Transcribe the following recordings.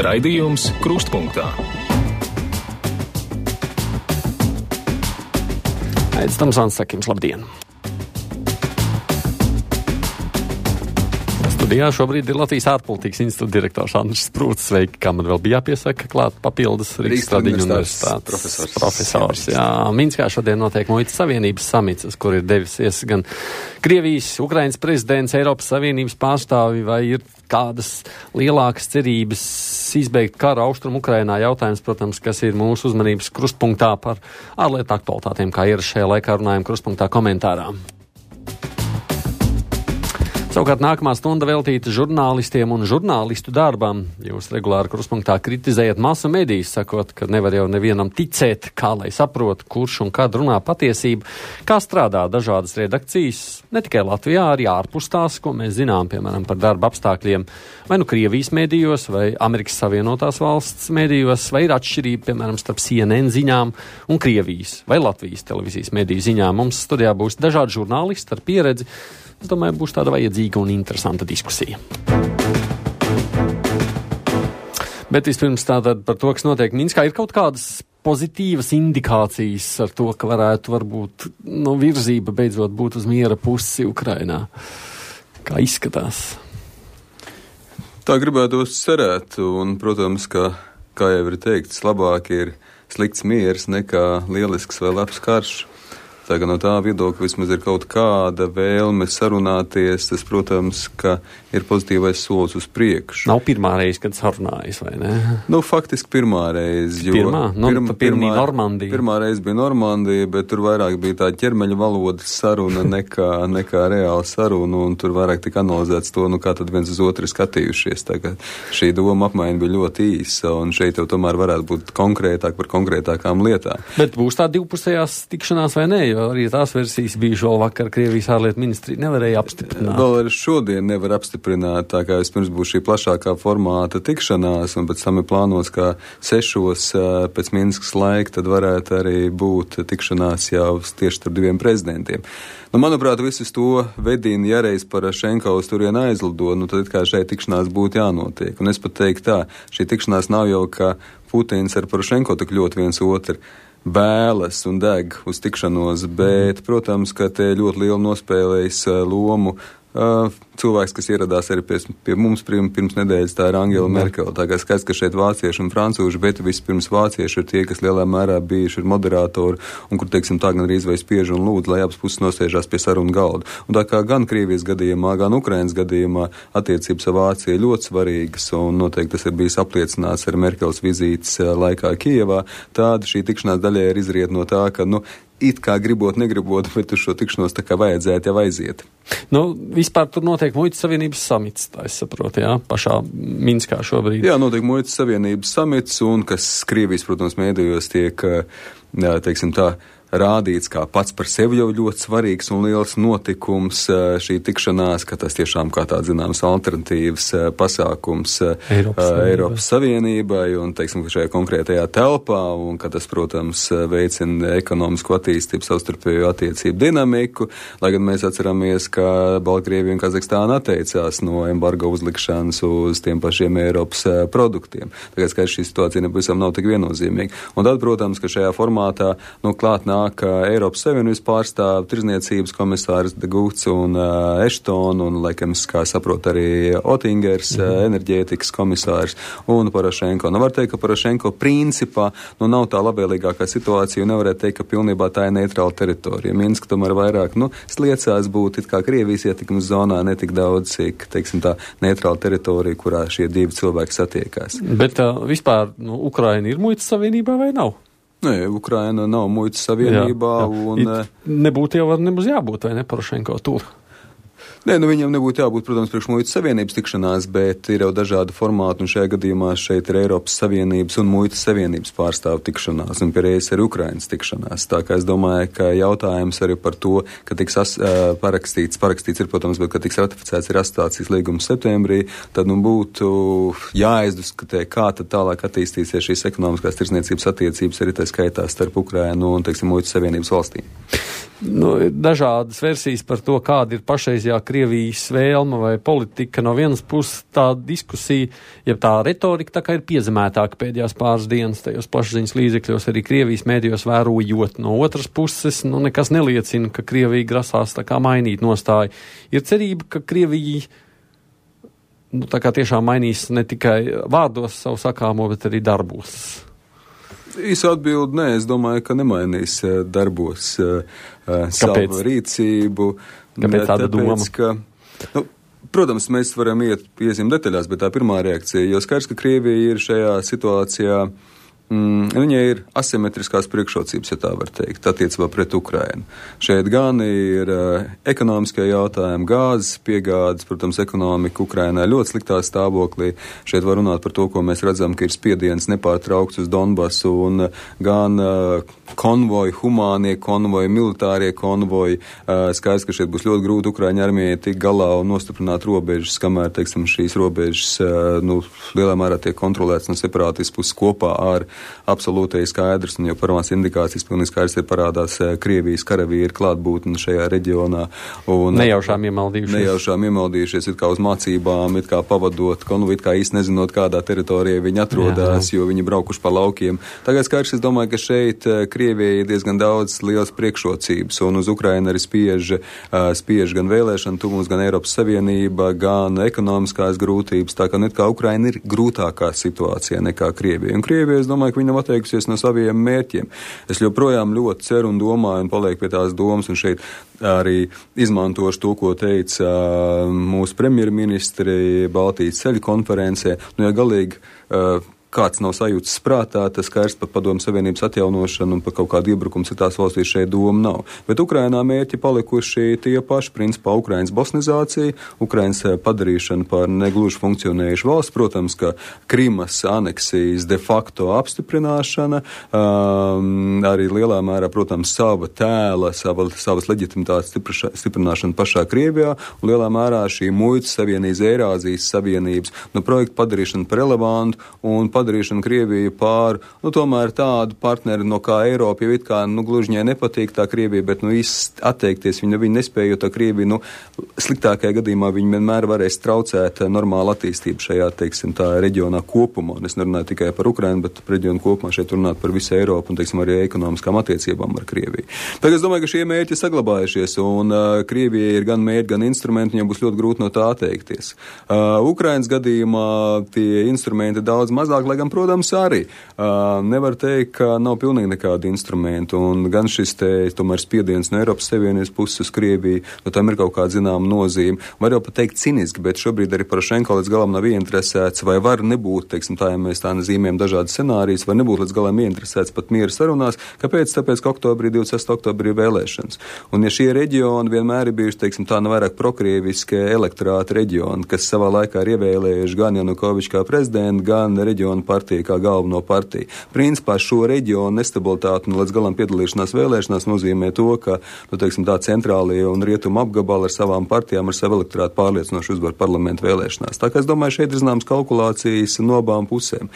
Raidījums Krustpunktā. Aizs Tamsāns saka jums labdien! Studijā šobrīd ir Latvijas ārpolitikas institūta direktors Andris Sprūts. Sveiki, kā man vēl bija jāpiesaka, klāt papildus Rīgas Tradiņu universitātes profesors. Jā, Minskā šodien notiek Muitas Savienības samits, kur ir devies gan Krievijas, Ukrainas prezidents, Eiropas Savienības pārstāvi, vai ir kādas lielākas cerības izbeigt karu austrumu Ukrainā. Jautājums, protams, kas ir mūsu uzmanības krustpunktā par ārlietu aktualitātēm, kā ir šajā laikā runājam krustpunktā komentārā. Savukārt nākamā stunda veltīta žurnālistiem un žurnālistu darbam. Jūs regulāri krustpunktā kritizējat masu medijas, sakot, ka nevar jau nevienam ticēt, kā lai saprot, kurš un kad runā patiesību, kā strādā dažādas redakcijas, ne tikai Latvijā, arī ārpus tās, ko mēs zinām, piemēram, par darba apstākļiem, vai nu Krievijas medijos, vai Amerikas Savienotās valsts medijos, vai ir atšķirība, piemēram, starp CNN ziņām un Krievijas vai Latvijas televīzijas mediju ziņām. Mums studijā būs dažādi žurnālisti ar pieredzi. Es domāju, būs tāda vajadzīga un interesanta diskusija. Bet vispirms tātad par to, kas notiek Minskā, ir kaut kādas pozitīvas indikācijas ar to, ka varētu varbūt virzība beidzot būt uz miera pusi Ukrainā. Kā izskatās? Tā gribētos cerēt, un, protams, kā jau ir teikts, labāk ir slikts miers nekā lielisks vai labs karš. Tā kā no tā viedokļa vismaz ir kaut kāda vēlme sarunāties, tas, protams, ka ir pozitīvais solis uz priekšu. Nav pirmā reize, kad sarunājas, vai ne? Faktiski pirmā reize. Normandija. Pirmā reize bija Normandija, bet tur vairāk bija tā ķermeļa valodas saruna nekā reāla saruna, un tur vairāk tika analizēts to, kā tad viens uz otru skatījušies. Tā kā šī doma apmaiņa bija ļoti īsa, un šeit jau tomēr varētu būt konkrētāk par konkrētākām lietām. Bet būs tā divpusējās tikšanās vai ne? Jo arī tās versijas bija vēl vakar Krievijas ārlietu ministrija nevarēja apstiprināt. Vēl arī šodien nevar apstiprināt, tā kā vispirms būs šī plašākā formāta tikšanās, un pēc tam ir plānots, ka 6 pēc Minskas laika tad varētu arī būt tikšanās jau tieši starp diviem prezidentiem. Manuprāt, visus to vedina, ja reiz Porošenko uz turienu aizlido, tad kā šeit tikšanās būtu jānotiek. Un es pat teiktu tā, šī tikšanās nav jau, ka Putins ar Porošenko tik ļoti viens otru bēlas un deg uz tikšanos, bet, protams, ka te ļoti lielu nospēlējis lomu cilvēks, kas ieradās arī pie mums pirms nedēļas, tā ir Angela Merkele. Tā kā skaidrs, ka šeit vācieši un francūži, bet vispirms vācieši ir tie, kas lielā mērā bijuši ir moderatori, un kur, teiksim, tā gan arī vai spiež un lūdz, lai abas puses nosēžās pie sarunu galda. Un tā kā gan Krievijas gadījumā, gan Ukrainas gadījumā attiecības ar Vāciju ļoti svarīgas, un noteikti tas ir bijis apliecināts ar Merkeles vizītes laikā Kijevā, tāda šī tikšanās daļai ir izriet no tā, ka, it kā gribot, negribot, bet uz šo tikšanos tā kā vajadzētu jau aiziet. Vispār tur notiek Muitas Savienības samits, tā es saprotu, jā, pašā Minskā šobrīd. Jā, notiek Muitas Savienības samits, un kas Krievijas, protams, mēdījos tiek, teiksim tā, rādīts kā pats par sevi jau ļoti svarīgs un liels notikums šī tikšanās, ka tas tiešām kā tāds zināms alternatīvs pasākums Eiropas Savienībai un, teiksim, šajā konkrētajā telpā, un ka tas, protams, veicina ekonomisku attīstību, savstarpējo attiecību dinamiku, lai gan mēs atceramies, ka Baltkrievija un Kazahstāna atteicās no embargo uzlikšanas uz tiem pašiem Eiropas produktiem. Tagad skaidrs, šī situācija nepavisam nav tik viennozīmīga. Un tad, protams, ka šajā formātā, klāt nāk Eiropas Savienības pārstāv, tirzniecības komisārs De Guhts un Eštona, un, laikam, kā saprot, arī Otingers, enerģētikas komisārs un Porošenko. Var teikt, ka Porošenko principā nav tā labvēlīgākā situācija, un nevarētu teikt, ka pilnībā tā ir neitrāla teritorija. Minska tomēr vairāk, sliecās būt it kā Krievijas ietekmes zonā, netik daudz, cik, teiksim, tā neitrāla teritorija, kurā šie divi cilvēki satiekās. Bet vispār, Ukraina ir Muitas Savienībā vai nav? Nē, Ukraina nav Muitas Savienībā. Jā. Nebūtu jau nemaz jābūt, vai ne, Porošenko tur? Nē, viņam nebūtu jābūt, protams, priekš Muitas Savienības tikšanās, bet ir jau dažādi formāti, un šajā gadījumā šeit ir Eiropas Savienības un Muitas Savienības pārstāvu tikšanās, un pierējas arī Ukrainas tikšanās. Tā kā es domāju, ka jautājums arī par to, ka tiks parakstīts ir, protams, bet ka tiks ratificēts ir asociācijas līgums septembrī, tad būtu jāizdiskutē, kā tad tālāk attīstīsies šīs ekonomiskās tirdzniecības attiecības arī tā skaitā starp Ukrainu un, teiksim, Muitas Savienības valstīm. Dažādas versijas par to, kāda ir pašreizajā Krievijas vēlme vai politika. No vienas puses tā diskusija, ja tā retorika tā kā ir piezemētāka pēdējās pāris dienas tajos plašsaziņas līdzekļos, arī Krievijas mēdījos vērojot. No otras puses, nekas neliecina, ka Krievija grasās tā kā mainīt nostāju. Ir cerība, ka Krievija tā kā tiešām mainīs ne tikai vārdos savu sakāmo, bet arī darbos. Īsa atbildi, nē, es domāju, ka nemainīs darbos savu rīcību. Kāpēc tāda doma? Protams, mēs varam iesim detaļās, bet tā pirmā reakcija, jo skaidrs, ka Krievija ir šajā situācijā, viņai ir asimetriskās priekšrocības, ja tā var teikt, attiecībā pret Ukrainu. Šeit gan ir ekonomiskie jautājumi, gāzes piegādes, protams, ekonomika Ukrainā ļoti sliktā stāvoklī. Šeit var runāt par to, ko mēs redzam, ka ir spiediens nepārtraukts uz Donbasu un gan konvoji, humānie konvoji, militārie konvoji. Skaidrs, ka šeit būs ļoti grūti Ukraiņu armijai tik galā un nostiprināt robežas, kamēr, teiksim, šīs robežas, lielā mērā tiek kontrolētas no separātistu puses kopā ar absolūtai skaidrs, un jau pirmās indikācijas pilnīgi skaidrs ir parādās Krievijas karavīri klātbūtne šajā reģionā. Un nejaušām iemaldījušies, it kā uz mācībām, it kā pavadot konvoju, it kā īsti nezinot, kādā teritorijā viņi atrodas, jo viņi braukuši pa laukiem. Tagad skaidrs, es domāju, ka šeit Krievijai ir diezgan daudz liels priekšrocības, un uz Ukrainu arī spiež gan vēlēšana tuvums, gan Eiropas Savienība, gan ekonomiskās grūtības, tā ka it kā Ukraina ir grūtākā situācijā nekā Krievija. Un Krievija, es domāju, ka viņa nav atteikusies no saviem mērķiem. Es joprojām ļoti ceru un domāju un palieku pie tās domas, un šeit arī izmantošu to, ko teica mūsu premjerministri Baltijas ceļu konferencē. Ja galīgi kāds nav sajūtas prātā, tas skaidrs par Padomju Savienības atjaunošanu un par kaut kādu iebrukumu citās valstīs šeit doma nav. Bet Ukrainā mērķi palikuši tie paši, principā Ukrainas bosnizācija, Ukrainas padarīšana par negluži funkcionējušu valsts, protams, ka Krimas aneksijas de facto apstiprināšana, arī lielā mērā, protams, sava tēla, savas leģitimitātes stiprināšana pašā Krievijā, un lielā mērā šī muitas savienības, Eirāzijas savienības, projektu padarīšana par relevantu un padarīšana Krieviju pār, tomēr tādu partneri, no kā Eiropa, jau it kā, gluži viņai nepatīk tā Krievija, bet, atteikties viņa nespēja, jo tā Krievija, sliktākajā gadījumā viņa vienmēr varēs traucēt normālu attīstību šajā, teiksim, tā reģionā kopumā. Un es nerunāju tikai par Ukrainu, bet par reģionu kopumā šeit runāt par visu Eiropu un, teiksim, arī ekonomiskām attiecībām ar Krieviju. Tagad es domāju, ka šie mērķi saglabājušies, un Krievijai ir gan mērķi, gan instrumenti, viņiem būs ļoti grūti no tā atteikties. Ukrainas gadījumā tie instrumenti daudz mazāk, lai gan, protams, arī nevar teikt, ka nav pilnīgi nekādi instrumenti, un gan šis tomēr spiediens no Eiropas Savienības puses uz Krieviju, tam ir kaut kāda zināma nozīme. Var jau pat teikt ciniski, bet šobrīd arī Porošenko līdz galam nav ieinteresēts, vai var nebūt, teiksim, tā, ja mēs tā zīmējam dažādas scenārijas, var nebūt līdz galam ieinteresēts pat miera sarunās. Kāpēc? Tāpēc, ka 26. oktobrī ir vēlēšanas. Un ja šie reģioni vienmēr ir bijuši, teiksim, tā vairāk prokrieviskie elektorāta reģioni, kas savā laikā ir ievēlējuši gan Janukoviču kā prezidentu, gan reģionu partiju kā galveno partiju. Principā šo reģionu nestabilitāti un līdz galam piedalīšanās vēlēšanās nozīmē to, ka, teiksim, tā centrālie un rietumu apgabali ar savām partijām, ar savu elektorātu pārliecinoši uzvar parlamentu vēlēšanās. Tā kā es domāju, šeit ir zināmas kalkulācijas no abām pusēm.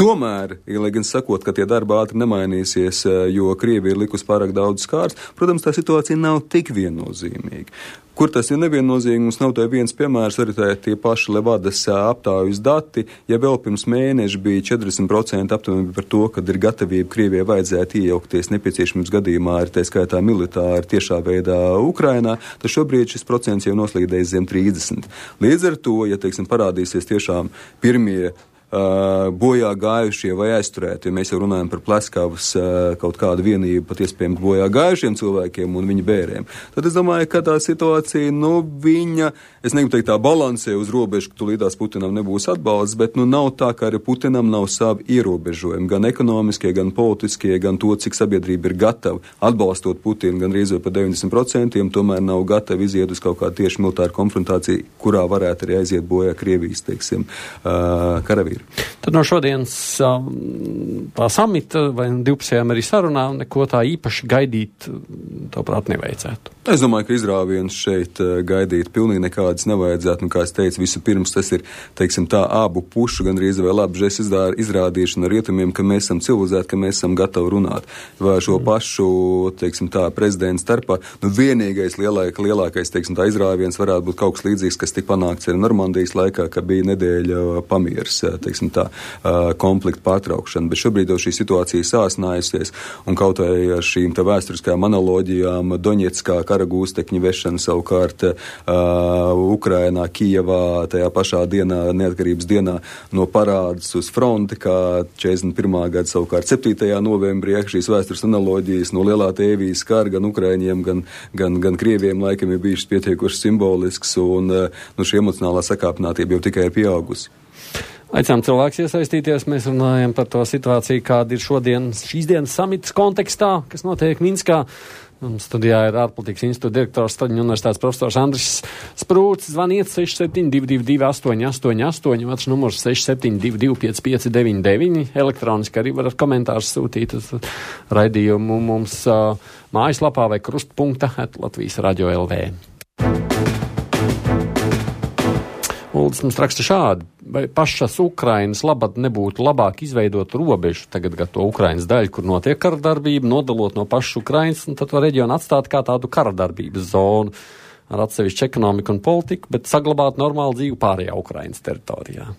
Tomēr, lai gan sakot, ka tie darba ātri nemainīsies, jo Krievija ir likusi pārāk daudz skārs, protams, tā situācija nav tik viennozīmīga. Kur tas ir neviennozīmīgi, mums nav tā viens piemērs, arī tie paši Levadas aptājas dati, ja vēl pirms mēneša bija 40% aptuveni par to, kad ir gatavība Krievijai vajadzētu iejaukties nepieciešamības gadījumā, arī tā skaitā militāri tiešā veidā Ukrainā, tad šobrīd šis procents jau noslīdējis zem 30. Līdz ar to, ja, teiksim, parādīsies tiešām pirmie bojā gājušie vai aizturēti, ja mēs jau runājam par Pleskavas kaut kādu vienību pat iespējami bojā gājušiem cilvēkiem un viņa bēriem, tad es domāju, ka tā situācija, viņa, es negribu teikt tā balansē uz robežu, ka tulītās Putinam nebūs atbalsts, bet nav tā, ka arī Putinam nav savi ierobežojumi, gan ekonomiskie, gan politiskie, gan to, cik sabiedrība ir gatava atbalstot Putinu, gan rīzot par 90%, tomēr nav gatava iziet uz kaut kādu tieši militāru konfrontāciju, kurā varētu arī aiziet bojā Krievijas, teiksim, karavīri. ir. Tad no šodienas tā samita vai divpusējām arī sarunā neko tā īpaši gaidīt, tavuprāt, nevajadzētu. Es domāju, ka izrāviens šeit gaidīt pilnīgi nekādas nevajadzētu. Kā es teicu, vispirms tas ir, teiksim tā, abu pušu gandrīz vai labi izrādīšana rietumiem, ka mēs esam civilizēti, ka mēs esam gatavi runāt. Vai šo pašu, teiksim tā, prezidentu starpā, vienīgais lielākais, teiksim tā, izrāviens varētu būt kaut kas līdzīgs, kas tika panākts arī Normandijas laikā, ka bija nedēļa pamieris, teiksim tā, konflikta pārtraukšana. Bet šobrīd jau šī situācija sāsinājusies, un kaut vai ar šīm tā vēsturiskajām analoģijām Doņetskā kara gūstekņu vešana savukārt Ukrainā, Kijevā, tajā pašā dienā, neatkarības dienā no parādas uz fronti, kā 41. gada savukārt 7. novembrī, šīs vēstures analoģijas no lielā tēvijas kara gan Ukraiņiem, gan Krieviem laikam ir bijušas pietiekuši simbolisks, un šī emocionālā sakāpinātība jau tikai ir pieaugusi. Aicinām cilvēks iesaistīties, mēs runājam par to situāciju, kāda ir šīs dienas samitas kontekstā, kas notiek Minskā. Studijā ir ārpolitikas institūta direktors Staļņu universitātes profesors Andris Sprūts. Zvaniet 6722 888, otrs numurs 6722 5599. Elektroniski arī varat komentārus sūtīt uz raidījumu mums mājaslapā vai krustpunkta @Latvijas Radio LV. Uldis mums raksta šādi, vai pašas Ukrainas labad nebūtu labāk izveidot robežu, tagad to Ukrainas daļu, kur notiek karadarbība, nodalot no pašas Ukrainas, un tad to reģionu atstāt kā tādu karadarbības zonu ar atsevišķu ekonomiku un politiku, bet saglabāt normālu dzīvi pārējā Ukrainas teritorijā.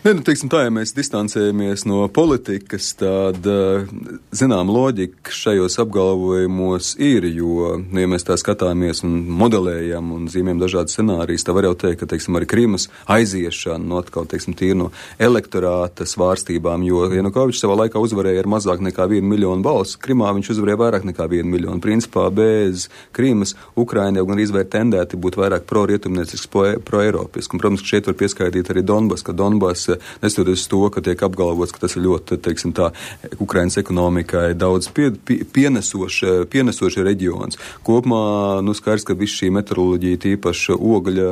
Teiksim tā, ja mēs distancējamies no politikas, tad, zinām, loģika šajos apgalvojumos ir, jo, ja mēs tā skatāmies un modelējam un zīmējam dažādas scenārijas, tā var jau teikt, ka, teiksim, arī Krimas aiziešana no atkal, teiksim, tīri no elektorāta svārstībām, jo Janukovičs savā laikā uzvarēja ar mazāk nekā 1 miljonu balsu, Krimā viņš uzvarēja vairāk nekā 1 miljonu. Principā bez Krimas Ukraina jau gan izvērt tendēti būt vairāk pro-rietumniecisks, pro-eiropisks, un, protams, ka šeit var pieskaitīt arī Donbas, ka Donbas nestoties uz to, ka tiek apgalvots, ka tas ir ļoti, teiksim tā, Ukrainas ekonomikai daudz pienesoši reģions. Kopumā, skaidrs, ka viss šī meteoroloģija, tīpaši ogļa,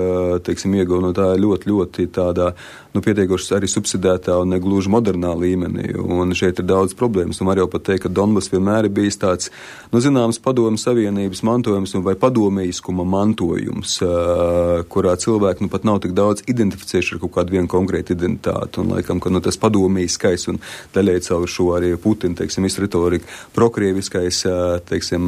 teiksim, ieguva no tā ļoti tādā, pietiekoši arī subsidētā un negluži modernā līmenī. Un šeit ir daudz problēmas. Un var jau pat teikt, ka Donbas vienmēr ir bijis tāds, zināms, padomju savienības mantojums vai padomīskuma mantojums, kurā cilvēki pat nav tik daudz identificējuši ar kaut kādu vienu konkrētu identitāti. Un laikam, ka tas padomīskais un daļai caur šo arī Putina, teiksim, retorika prokrieviskais, teiksim,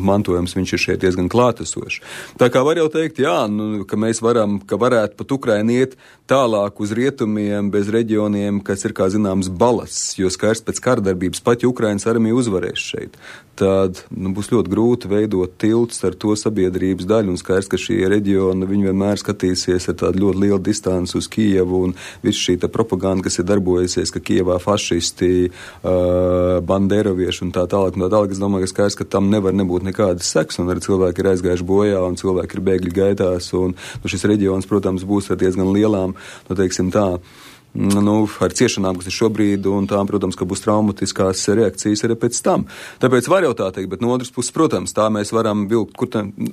mantojums, viņš ir šeit diezgan klātesošs. Tā kā var jau teikt, ka mēs varētu pat Ukraina iet tālāk uz rietumiem, bez reģioniem, kas ir, kā zināms, balasts, jo skaidrs pēc kardarbības pat, ja Ukrainas armija uzvarēs šeit, tad būs ļoti grūti veidot tiltus ar to sabiedrības daļu, un skaidrs, ka šie reģioni, viņi vienmēr skatīsies ar tādu ļoti lielu distanci uz Kijevu, un viss šī tā propaganda, kas ir darbojusies, ka Kijevā fašisti, banderovieši un tā tālāk, es domāju, ka skaidrs, ka tam nevar nebūt nekādas seks, un arī cilvēki ir aizgājuši bojā, un cilvēki ir bēgļi gaitās, un šis reģions, protams, būs ar diezgan lielām, teiksim tā, ar ciešanām, kas ir šobrīd, un tām, protams, ka būs traumatiskās reakcijas arī pēc tam. Tāpēc var jau tā teikt, bet no otras puses, protams, tā mēs varam vilkt,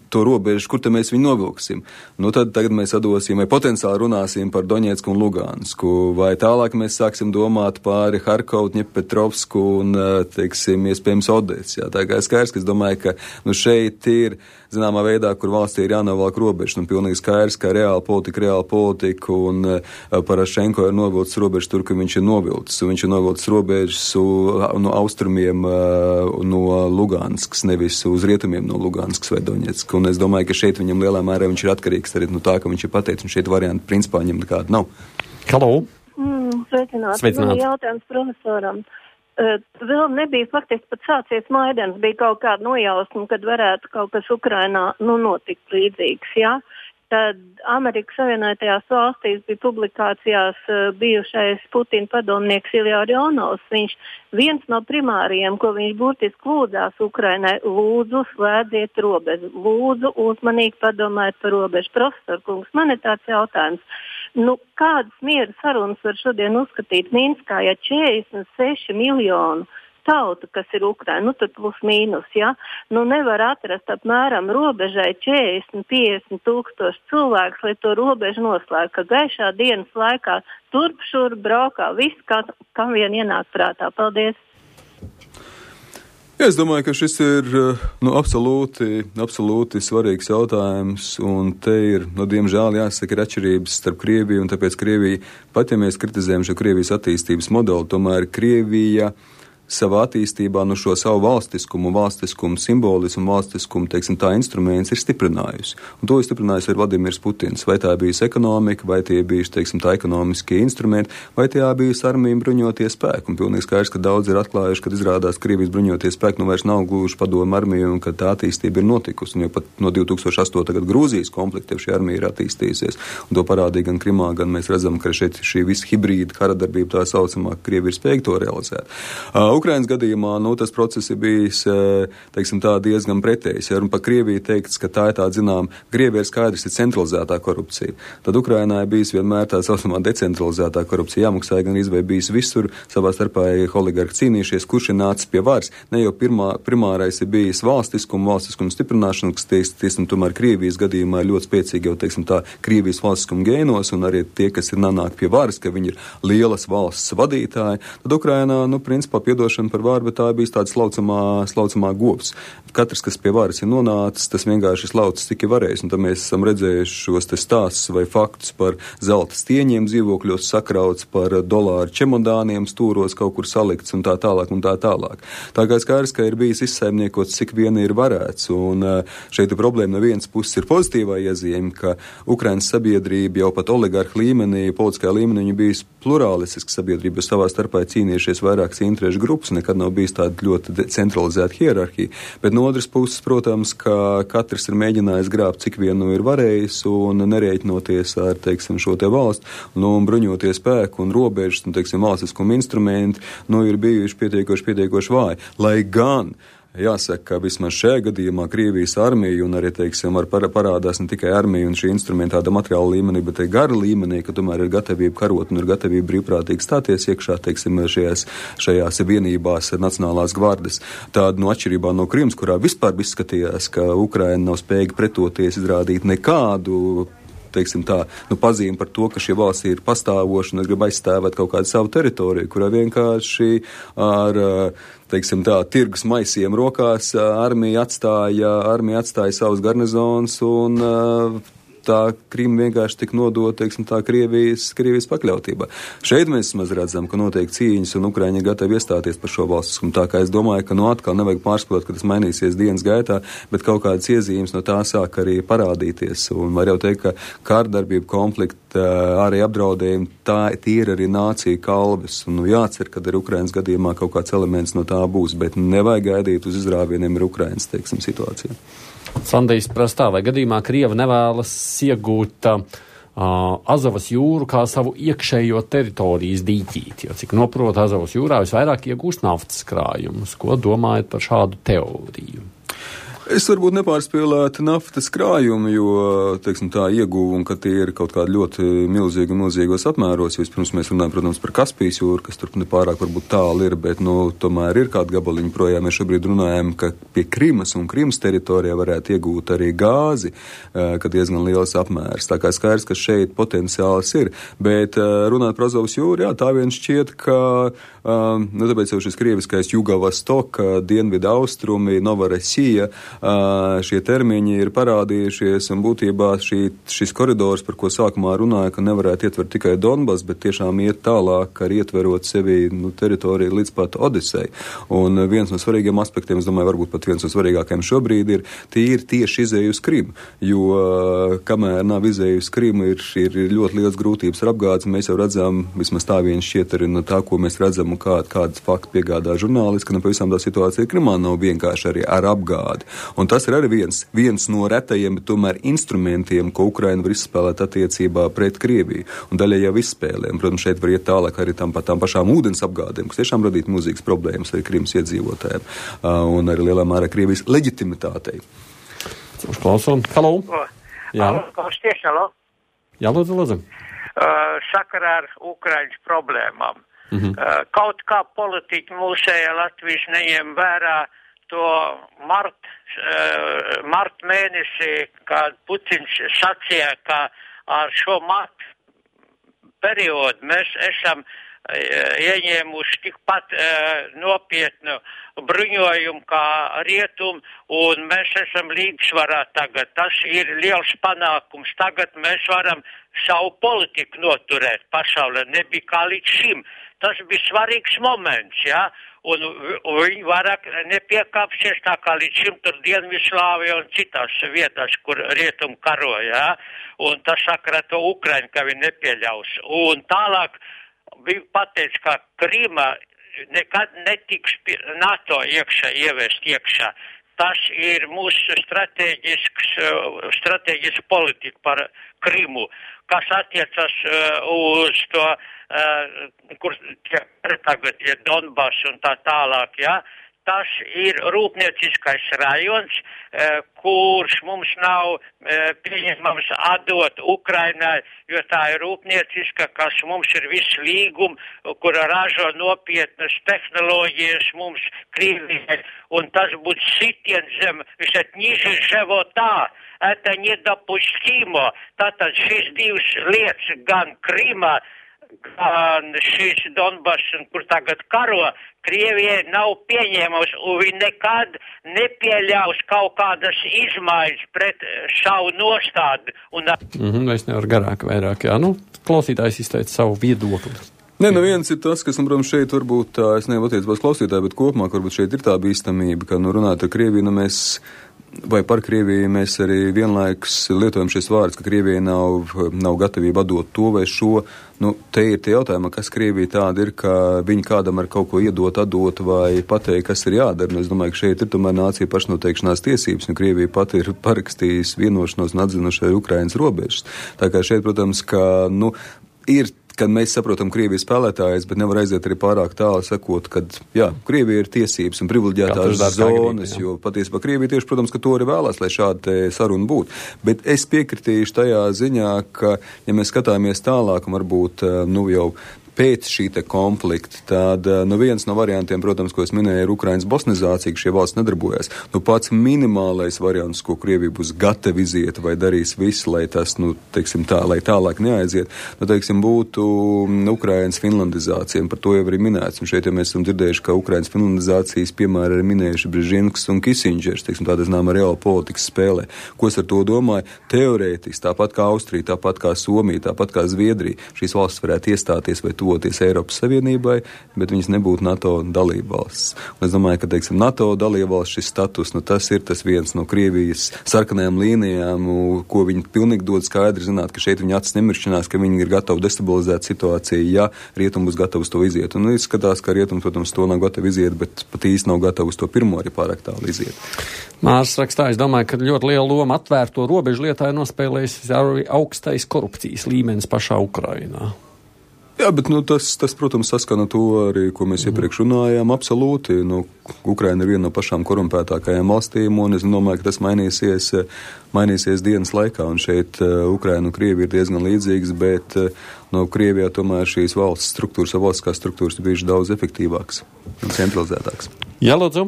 to robežu, kur mēs viņu novilksim. Tad tagad mēs atdosim, vai potenciāli runāsim par Doņetsku un Lugansku, vai tālāk mēs sāksim domāt pāri Harkovu, Ņepetrovsku un, teiksim, iespējams Odesu. Tā kā skaidrs, ka es domāju, ka šeit ir zināmā veidā, kur valstī ir jānovelk robežas, un pilnīgi skaidrs, ka reāla politika, un Parašenko ir novilcis robežas tur, ka viņš ir novilcis. Viņš ir novilcis robežas no austrumiem no Luganskas, nevis uz rietumiem no Luganskas vai Doņetskas. Un es domāju, ka šeit viņam lielā mērā viņš ir atkarīgs arī no tā, ka viņš ir pateicis, un šeit varianti principā viņam nekāda nav. Halo! Sveicināti. Jautājums profesoram. Vēl nebija faktiski pat sācies Maidans, bija kaut kāda nojausma, kad varētu kaut kas Ukrainā notikt līdzīgs, jā? Tad Amerikas Savienotajās valstīs bija publikācijās bijušais Putina padomnieks Ilja Orionovs. Viņš viens no primāriem, ko viņš būtiski lūdzās Ukrainai, lūdzu slēdziet robežu, lūdzu uzmanīgi padomājiet par robežu. Profesor kungs, man ir tāds jautājums. Kādas miera sarunas var šodien uzskatīt Minskā, ja 46 miljonu tauta, kas ir Ukraina, tur plus mīnus, ja, nevar atrast apmēram robežai 40-50 tūkstoši cilvēks, lai to robežu noslēgtu, ka gaišā dienas laikā turp šur braukā, viss, kam vien ienāk prātā. Paldies! Es domāju, ka šis ir absolūti svarīgs jautājums, un te ir, diemžēl, jāsaka, ir atšķirības starp Krieviju, un tāpēc Krievija, pat ja mēs kritizējam šo Krievijas attīstības modeli, tomēr Krievija savā attīstībā šo savu valstiskumu simbolismu, valstiskumu, teiksim, tā instruments ir stiprinājusi. Un to ir stiprinājusi ar Vladimirs Putins. Vai tā bijusi ekonomika, vai tie bijuši, teiksim, tā ekonomiskie instrumenti, vai tie bijusi armija bruņotie spēki. Un pilnīgi skaidrs, ka daudz ir atklājuši, kad izrādās Krievijas bruņotie spēki vairs nav gluži padomu armija un ka tā attīstība ir notikusi. Un jau pat no 2008. gada Grūzijas konflikta šī armija ir attīstījusies. Un to parādīja gan Krimā, gan mēs redzam, ka šeit šī visa hibrīda karadarbība tā saucamā, Krievija ir spējīga to realizēt. Ukrainas gadījumā, tas process ir bijis, teiksim tā, diezgan pretējs. Ja par Krieviju teikts, ka tā ir tāda, zinām, Krievija ir skaidrs, ir centralizētā korupcija. Tad Ukrainā ir bijis vienmēr tā saucamā decentralizētā korupcija. Jāmaksāja gan izvēj bijis visur, savā starpā oligarhi cīnījušies, kurš ir nācis pie varas. Ne jau primārais ir bijis valstiskuma stiprināšana, kas, teiksim, tomēr Krievijas gadījumā ir ļoti spēcīgi jau, teiksim tā, Krievijas valstiskuma gēnos, un arī tie, kas ir nonāk pie varas, ka viņi ir lielas valsts vadītāji. Tad Ukrainā, principā, par vāru, bet tā bija tāda slaucamā govs. Katrs, kas pie varas ir nonācis, tas vienkārši slaucis tik ir varējis. Un tad mēs esam redzējuši šos te stāstus vai faktus par zelta stieņiem dzīvokļos sakrauts, par dolāru čemodāniem stūros kaut kur salikts un tā tālāk un tā tālāk. Tā kā skaidrs, ka ir bijis izsaimniekots, cik vien ir varēts. Un šeit ir problēma no vienas puses ir pozitīvā iezīme, ka Ukrainas sabiedrība jau pat oligarhu līmenī, politiskajā līmenī viņa bijis plurālistiska sabiedrība, jo savā starpā cīnījušies vairākas interešu grupas, nekad nav bijis tāda ļoti centralizēta hierarhija. Bet no otras puses, protams, ka katrs ir mēģinājis grābt, cik vien ir varējis, un nerēķinoties ar, teiksim, šo te valstu, bruņotie spēku un robežas, un, teiksim, valstiskuma instrumenti, ir bijuši pietiekoši vāji. Lai gan jāsaka, ka vismaz šajā gadījumā Krievijas armija un arī, teiksim, parādās ne tikai armija un šī instrumenta tāda materiāla līmenī, bet arī gara līmenī, ka tomēr ir gatavība karot un ir gatavība brīvprātīgi stāties iekšā, teiksim, šajās vienībās nacionālās gvardes. Tāda atšķirībā no Krimas, kurā vispār izskatījās, ka Ukraina nav spējīga pretoties, izrādīt nekādu, teiksim tā, pazīme par to, ka šie valsts ir pastāvoši un grib aizstāvēt kaut kādu savu teritoriju, kurā vienkārši ar, teiksim tā, tirgus maisiem rokās armija atstāja savus garnizonus un tā Krima vienkārši tik nodot, teiksim tā, Krievijas pakļautībā. Šeit mēs maz redzam, ka notiek cīņas un Ukraiņi ir gatavi iestāties par šo valstiskumu. Tā kā es domāju, ka atkal nevajag pārspēt, ka tas mainīsies dienas gaitā, bet kaut kādas iezīmes no tā sāk arī parādīties. Un var jau teikt, ka kārdarbība, konflikta, arī apdraudējumi, tie ir arī nācija kalvis. Un jācer, ka ar Ukrainas gadījumā kaut kāds elements no tā būs, bet nevajag gaidīt uz izrāvieniem ar Ukrainas, teiksim, situāciju. Sandijs prastā, vai gadījumā Krieva nevēlas iegūt Azovas jūru kā savu iekšējo teritorijas dīķīti, jo cik noprot Azovas jūrā visvairāk iegūst naftas krājumus. Ko domājat par šādu teoriju? Es varbūt nepārspēlētu naftas krājumu, jo, teiksim tā, ieguvumi, ka tie ir kaut kādi ļoti milzīgos apmēros, jo vispirms mēs runājam, protams, par Kaspijas jūru, kas tur nepārāk varbūt tālu ir, bet, tomēr ir kādi gabaliņi projām. Mēs šobrīd runājam, ka pie Krimas un Krimas teritorijā varētu iegūt arī gāzi, ka diezgan liels apmērs. Tā kā skaidrs, ka šeit potenciāls ir, bet runāt par Azovas jūru, jā, tā vien šķiet, ka, tāpēc jau šis krieviskais Jugavostok, dienvidu austrumi, Novorossija, šie termiņi ir parādījušies, un būtībā šis koridors, par ko sākumā runāja, ka nevarētu ietvert tikai Donbas, bet tiešām iet tālāk, ar ietverot sevi teritoriju līdz pat Odesei. Un viens no svarīgiem aspektiem, es domāju, varbūt pat viens no svarīgākajiem šobrīd ir tieši izēju uz Krimu, jo kamēr nav izēju uz Krimu, ir ļoti liels grūtības ar apgādes. Mēs jau redzam, vismaz tā viens šķiet arī no tā, ko mēs redzam un kādas fakti piegādā žurnālisti, ka nepavisam tā situācija Krimā nav vienkārši arī ar apgādi. Un tas ir arī viens no retajiem, bet tomēr instrumentiem, ko Ukraina var izspēlēt attiecībā pret Krieviju. Un daļai jau izspēlēm. Protams, šeit var iet tālāk arī tām pašām ūdens apgādēm, kas tiešām radītu milzīgas problēmas arī Krimas iedzīvotājiem un arī lielā mērā Krievijas leģitimitātei. Uzklausām. Halo! Jā. Halo? Jā, lūdzu. Sakarā ar Ukraiņas problēmām. Kaut kā politiķi mūsējā Latvijas neņem vērā to marta mēnesī, kad Putins sacīja, ka ar šo marta periodu mēs esam ieņēmuši tikpat nopietnu bruņojumu kā rietum, un mēs esam līdzsvarā tagad. Tas ir liels panākums. Tagad mēs varam savu politiku noturēt pasaulē. Nebija kā līdz šim. Tas bija svarīgs moments, ja? Un viņi vairāk nepiekāpsies tā kā līdz šim tur Dienvidslāvijā un citās vietās, kur rietum karoja, ja? Un tas sakarā to Ukraiņu, ka viņi nepieļaus. Un tālāk bija pateicis, ka Krīma nekad netiks NATO ievest iekšā. Tas ir mūsu strateģiska politika par Krimu, kas attiecas uz to, kur tagad ir Donbass un tā tālāk, ja. Tas ir rūpnieciskais rajons, kurš mums nav pieņemams atdot Ukrainai, jo tā ir rūpnieciska, kas mums ir viss līguma, kura ražo nopietnas tehnoloģijas mums Krievijai, un tas būtu sitiens zem, visat niži života. Это недопустимо. Tātad šīs divas lietas, gan Krīmā, gan šīs Donbass, kur tagad karo, Krievijai nav pieņēmams, un viņi nekad nepieļaus kaut kādas izmaiņas pret savu nostādu. Es nevaru garāk vairāk, jā. Klausītājs izteica savu viedokli. Viens ir tas, kas, protams, šeit varbūt tā, es nevaru attiecībās klausītāji, bet kopumā, varbūt šeit ir tā bīstamība, ka, runāt ar Krieviju, vai par Krieviju mēs arī vienlaikus lietojam šis vārds, ka Krievija nav gatavība atdot to vai šo. Te ir tie jautājumi, kas Krievija tāda ir, ka viņi kādam ar kaut ko iedot, atdot vai pateikt, kas ir jādara. Es domāju, ka šeit ir tomēr nācija pašnoteikšanās tiesības, un Krievija pati ir parakstījusi vienošanos un atzinuši arī Ukrainas robežas. Tā kā šeit, protams, ka, ir, kad mēs saprotam Krievijas spēlētājus, bet nevar aiziet arī pārāk tālu sakot, kad, jā, Krievija ir tiesības un privileģētās zonas, jo patiesībā Krievija tieši, protams, ka to arī vēlās, lai šāda saruna būtu. Bet es piekritīšu tajā ziņā, ka, ja mēs skatāmies tālāk, un varbūt, jau pēc šī te konflikta, tad viens no variantiem, protams, ko es minēju, ir Ukrainas bosnizācija, ka šie valsts nedarbojas. Pats minimālais variants, ko Krievija būs gatava iziet vai darīs visu, lai tas, teiksim tā, lai tālāk neaiziet, būtu Ukrainas finlandizācija, un par to jau arī minēts. Un šeit, ja mēs esam dzirdējuši, ka Ukrainas finlandizācijas, piemēram, ir minējuši Brežinskis un Kisindžers, teiksim, tāda zināma reāla politikas spēlē. Ko es ar to domāju? Teorētiski, tāpat kā Austrija, tāpat kā Somija, tāpat kā Zviedrija, šīs valstis varētu iestāties vai tuvoties Eiropas Savienībai, bet viņas nebūtu NATO dalībvalsts. Un es domāju, ka, teiksim, NATO dalībvalsts šis status, tas ir tas viens no Krievijas sarkanajām līnijām, ko viņi pilnīgi dod skaidri zināt, ka šeit viņi acis nemiršķinās, ka viņi ir gatavi destabilizēt situāciju, ja rietumi būs gatavi uz to iziet. Un izskatās, ka rietumi, protams, to nav gatavi iziet, bet pat īsti nav gatavi uz to pirmo arī pārāk tālu iziet. Mārs rakstā, es domāju, ka ļoti liela loma atvērto robežu lietā ir nospēlējis arī augstais korupcijas līmenis pašā Ukrainā. Jā, bet tas, protams, saskana to arī, ko mēs iepriekš runājām, absolūti. Ukraina ir viena no pašām korumpētākajām valstīm, un es domāju, ka tas mainīsies dienas laikā, un šeit Ukraina un Krievija ir diezgan līdzīgas, bet Krievijā tomēr šīs valsts struktūras, valstiskās struktūras ir bijušas daudz efektīvākas un centralizētākas. Jā, lūdzu.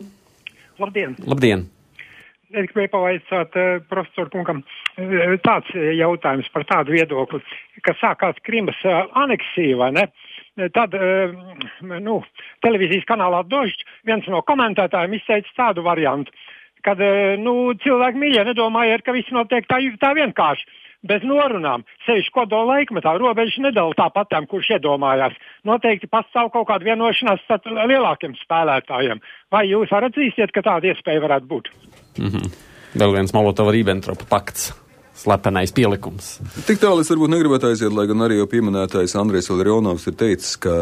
Labdien. Es gribēju pavaicāt profesoru kungam tāds jautājums par tādu viedokli, ka sākās Krimas aneksija, vai ne? Tad, televīzijas kanālā Dožģi viens no komentētājiem izteica tādu variantu, kad, cilvēki mīļie nedomāja, ka viss notiek tā vienkārši. Bez norunām, sevišķi kodola laikmetā, robežas nedala tāpatām, kurš iedomājās. Noteikti pastāv kaut kāda vienošanās starp lielākiem spēlētājiem. Vai jūs atzīsiet, ka tāda iespēja varētu būt? Vēl viens Molotova-Ribbentropa pakts. Slepenais pielikums. Tik tālu es varbūt negribētu aiziet, lai gan arī jau pieminētājs Andrejs Valerijonovs ir teicis, ka,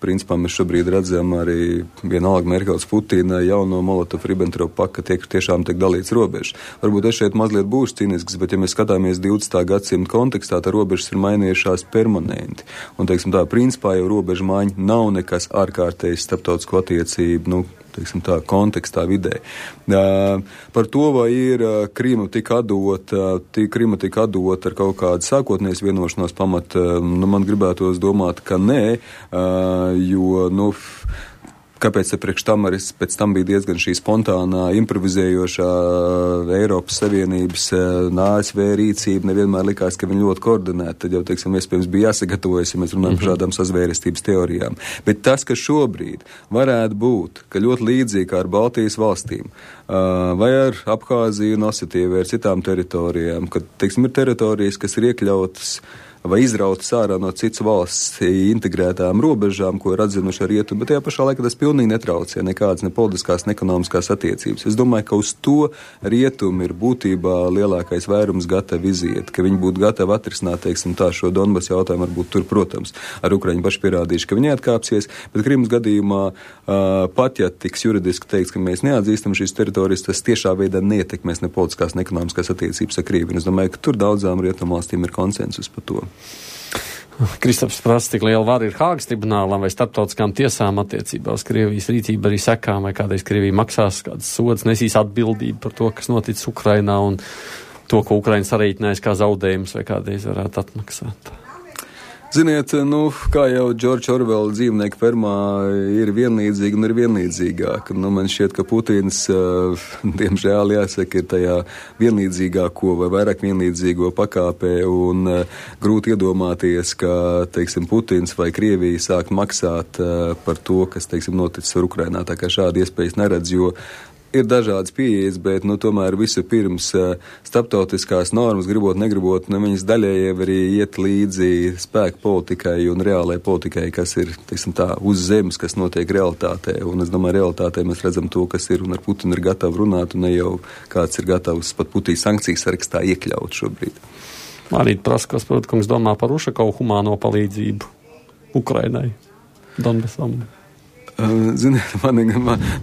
principā mēs šobrīd redzam arī vienalga Merkels Putina jauno Molotov-Ribbentrop pakta tiešām tiek dalīts robežas. Varbūt es šeit mazliet būšu cīnisks, bet ja mēs skatāmies 20. gadsimta kontekstā, tā robežas ir mainījušās permanenti. Un, teiksim tā, principā jau robežu maiņa nav nekas ārkārtējs starptautisko attiecību, teiksim tā, kontekstā vidē. Par to, vai ir Krīma tika atdota ar kaut kādu sākotnējas vienošanos pamatu, man gribētos domāt, ka nē, jo, kāpēc priekš tam arī pēc tam bija diezgan šī spontānā, improvizējošā Eiropas Savienības ASV rīcība, nevienmēr likās, ka viņi ļoti koordinēti, tad jau, teiksim, iespējams bija jāsagatavojas, ja mēs runājam par šādām sazvērestības teorijām. Bet tas, ka šobrīd varētu būt, ka ļoti līdzīgi kā ar Baltijas valstīm, vai ar Abhāziju un Osetiju vai ar citām teritorijām, kad, teiksim, ir teritorijas, kas ir iekļautas vai izrautas ārā no citas valsts integrētām robežām, ko ir atzinuši ar rietumu, bet tajā pašā laikā tas pilnīgi netraucē nekādas ne politiskās, ne ekonomiskās attiecības. Es domāju, ka uz to rietumu ir būtībā lielākais vairums gatavi iziet, ka viņi būtu gatavi atrisināt, teiksim, tā šo Donbass jautājumu, varbūt tur, protams, ar Ukraiņu paši pierādījuši, ka viņi atkāpsies, bet Krimas gadījumā pat, ja tiks juridiski teikts, ka mēs neatzīstam šīs teritorijas, tas tiešā veidā neietekmēs ne politiskās, ne ekonomiskās attiecības ar Krieviju. Es domāju, ka tur daudzām rietumvalstīm ir konsensus par to. Kristaps prasa, cik liela vara ir Hāgas tribunālam vai starptautiskām tiesām attiecībā uz Krievijas rīcību arī sekām, vai kādreiz Krievija maksās kādas sodas, nesīs atbildību par to, kas noticis Ukrainā un to, ko Ukraina sarīķinājis kā zaudējums vai kādreiz varētu atmaksāt. Ziniet, kā jau Džordža Orvela dzīvnieku fermā ir vienlīdzīga un ir vienlīdzīgāka. Man šķiet, ka Putins, diemžēl jāsaka, ir tajā vienlīdzīgāko vai vairāk vienlīdzīgo pakāpē un grūti iedomāties, ka, teiksim, Putins vai Krievija sāk maksāt par to, kas, teiksim, noticis ar Ukrainā. Tā kā šādi iespējas neredz, jo ir dažādas pieejas, bet, tomēr visu pirms starptautiskās normas, gribot, negribot, viņas daļēji arī iet līdzi spēku politikai un reālai politikai, kas ir, teiksim tā, uz zemes, kas notiek realitātē. Un es domāju, realitātē mēs redzam to, kas ir, un ar Putinu ir gatavi runāt, un ne jau kāds ir gatavs pat Putina sankcijas sarakstā iekļaut šobrīd. Arī Praskos, protams, domā par Ušakovu humāno palīdzību Ukrainai, Donbasam. Ziniet,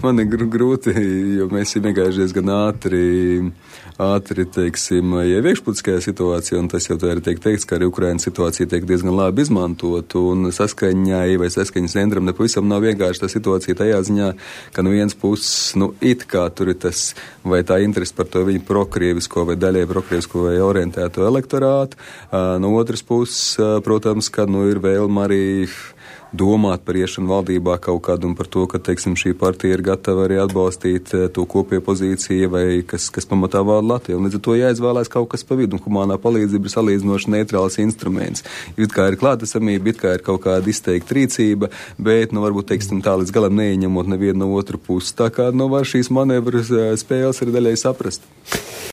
man ir grūti, jo mēs esam iegājušies gan ātri, teiksim, jau iekšpolitiskajā situācijā, un tas jau tā ir teikts, ka arī Ukrainas situācija tiek diezgan labi izmantot, un saskaņai vai saskaņas centram nepavisam nav vienkārši tā situācija tajā ziņā, ka no vienas puses, it kā tur ir tas, vai tā interesi par to viņu prokrievisko vai daļai prokrievisko vai orientēto elektorātu, no otras puses, protams, ka, ir vēlma arī domāt par iešanu valdībā kaut kādu un par to, ka, teiksim, šī partija ir gatava arī atbalstīt to kopējo pozīciju vai kas pamatā vada Latviju. Un līdz ar to jāizvēlās kaut kas pa vidu, un humānā palīdzība ir salīdzinoši neitrāls instruments. It kā ir klātesamība, it kā ir kaut kāda izteikta rīcība, bet, varbūt, teiksim, tā līdz galam neieņemot nevienu no otru pusi. Tā kā, var šīs manevras spēles arī daļai saprast.